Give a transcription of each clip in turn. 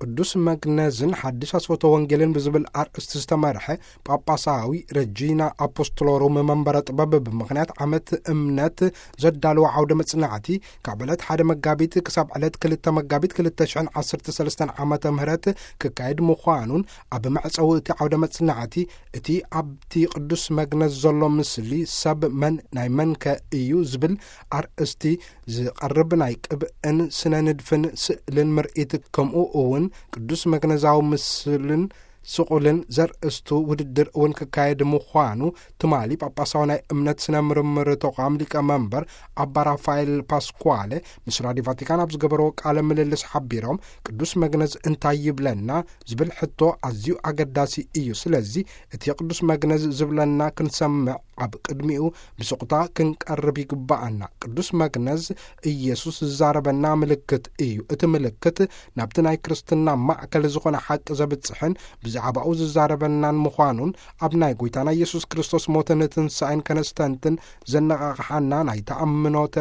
ቅዱስ መግነዝን ሓድሽ ኣስፈቶ ወንጌልን ብዝብል ኣርእስቲ ዝተመርሐ ጳጳሳዊ ረጂና ኣፖስቶሎሩም መንበረ ጥበብ፣ ብምኽንያት ዓመት እምነት ዘዳለወ ዓውደ መጽናዕቲ፣ ካብ ዕለት ሓደ መጋቢት ክሳብ ዕለት ክልተ መጋቢት ክልተ ሽሕን ዓሰርተ ሰለስተን ዓመተ ምህረት ክካየድ ምዃኑን፣ ኣብ መዕጸዊ እቲ ዓውደ መጽናዕቲ፣ እቲ ኣብቲ ቅዱስ መግነዝ ዘሎ ምስሊ ሰብ መን ናይ መንከ እዩ ዝብል ኣርእስቲ ዝቐርብ ናይ ቅብእን ስነ ንድፍን ስእልን ምርኢት፣ ከምኡ እውን ቅዱስ መግነዛዊ ምስልን ስቑልን ዘርእስቱ ውድድር እውን ክካየድ ምዃኑ፣ ትማሊ ጳጳሳዊ ናይ እምነት ስነ ምርምር ተቋም ሊቀ መንበር ኣባ ራፋኤል ፓስኳለ ምስ ራዲዮ ቫቲካን ኣብ ዝገበርዎ ቃለ ምልልስ ሓቢሮም፣ ቅዱስ መግነዝ እንታይ ይብለና ዝብል ሕቶ ኣዝዩ ኣገዳሲ እዩ። ስለዚ እቲ ቅዱስ መግነዝ ዝብለና ክንሰምዕ ኣብ ቅድሚኡ ብስቕታ ክንቀርብ ይግባኣና። ቅዱስ መግነዝ ኢየሱስ ዝዛረበና ምልክት እዩ። እቲ ምልክት ናብቲ ናይ ክርስትና ማእከል ዝኾነ ሓቂ ዘብጽሕን ብዛዕባኡ ዝዛረበናን ምዃኑን፣ ኣብ ናይ ጎይታና ኢየሱስ ክርስቶስ ሞትን ትንሳኤን ከነስተንትን ዘነቓቕሓና ናይ ተኣምኖተ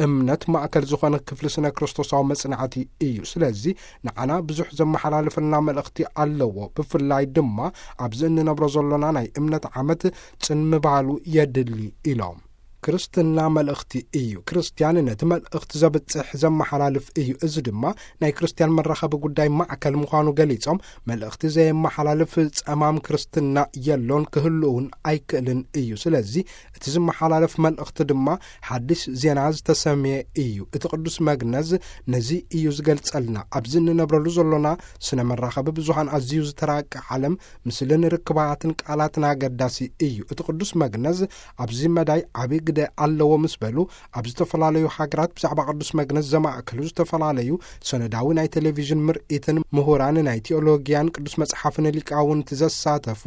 እምነት ማእከል ዝኾነ ክፍሊ ስነ ክርስቶሳዊ መጽናዕቲ እዩ። ስለዚ ንዓና ብዙሕ ዘመሓላልፈልና መልእኽቲ ኣለዎ። ብፍላይ ድማ ኣብዚ እንነብሮ ዘሎና ናይ እምነት ዓመት ጽን ምባሉ የድሊ ኢሎም። ክርስትና መልእኽቲ እዩ። ክርስትያን ነቲ መልእኽቲ ዘብጽሕ ዘመሓላልፍ እዩ። እዚ ድማ ናይ ክርስትያን መራኸቢ ጉዳይ ማዕከል ምዃኑ ገሊጾም፣ መልእኽቲ ዘየመሓላልፍ ጸማም ክርስትና የሎን ክህሉ እውን ኣይክእልን እዩ። ስለዚ እቲ ዝመሓላለፍ መልእኽቲ ድማ ሓድሽ ዜና ዝተሰምየ እዩ። እቲ ቅዱስ መግነዝ ነዚ እዩ ዝገልጸልና። ኣብዚ እንነብረሉ ዘሎና ስነ መራኸቢ ብዙሃን ኣዝዩ ዝተራቀ ዓለም፣ ምስልን ርክባትን ቃላትን ኣገዳሲ እዩ። እቲ ቅዱስ መግነዝ ኣብዚ መዳይ ዓቢ ግደ ኣለዎ ምስ በሉ፣ ኣብ ዝተፈላለዩ ሃገራት ብዛዕባ ቅዱስ መግነዝ ዘማእከሉ ዝተፈላለዩ ሰነዳዊ ናይ ቴሌቪዥን ምርኢትን ምሁራን ናይ ቴዎሎጊያን ቅዱስ መጽሓፍን ሊቃውንቲ ዘሳተፉ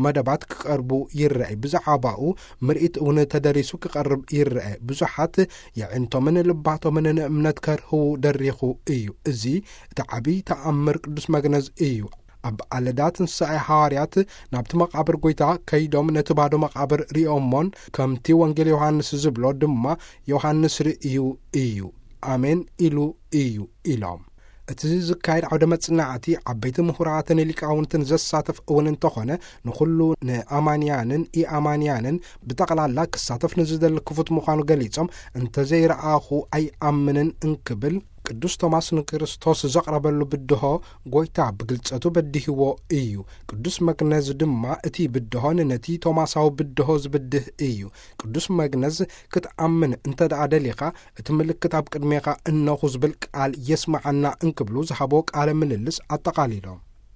መደባት ክቐርቡ ይረኣይ። ብዛዕባኡ ምርኢት እውን ተደሪሱ ክቐርብ ይረአ። ብዙሓት የዕንቶምን ልባቶምን ንእምነት ከርህዉ ደሪኹ እዩ። እዚ እቲ ዓቢ ተኣምር ቅዱስ መግነዝ እዩ። ኣብ ኣለዳ ትንሳኤ ሃዋርያት ናብቲ መቓብር ጎይታ ከይዶም ነቲ ባዶ መቓብር ሪኦሞን፣ ከምቲ ወንጌል ዮሃንስ ዝብሎ ድማ ዮሃንስ ርእዩ እዩ፣ ኣሜን ኢሉ እዩ ኢሎም። እቲ ዝካየድ ዓውደ መጽናዕቲ ዓበይቲ ምሁራትን ሊቃውንትን ዘሳተፍ እውን እንተኾነ፣ ንኹሉ ንኣማንያንን ኢኣማንያንን ብጠቕላላ ክሳተፍ ንዝደሊ ክፉት ምዃኑ ገሊጾም፣ እንተዘይረኣኹ ኣይኣምንን እንክብል፣ ቅዱስ ቶማስ ንክርስቶስ ዘቕረበሉ ብድሆ ጎይታ ብግልጸቱ በዲህዎ እዩ። ቅዱስ መግነዝ ድማ እቲ ብድሆን ነቲ ቶማሳዊ ብድሆ ዝብድህ እዩ። ቅዱስ መግነዝ ክትኣምን እንተ ደኣ ደሊኻ፣ እቲ ምልክት ኣብ ቅድሜኻ እነኹ ዝብል ቃል የስምዓና እንክብሉ ዝሃቦ ቃለ ምልልስ ኣጠቓሊሎም።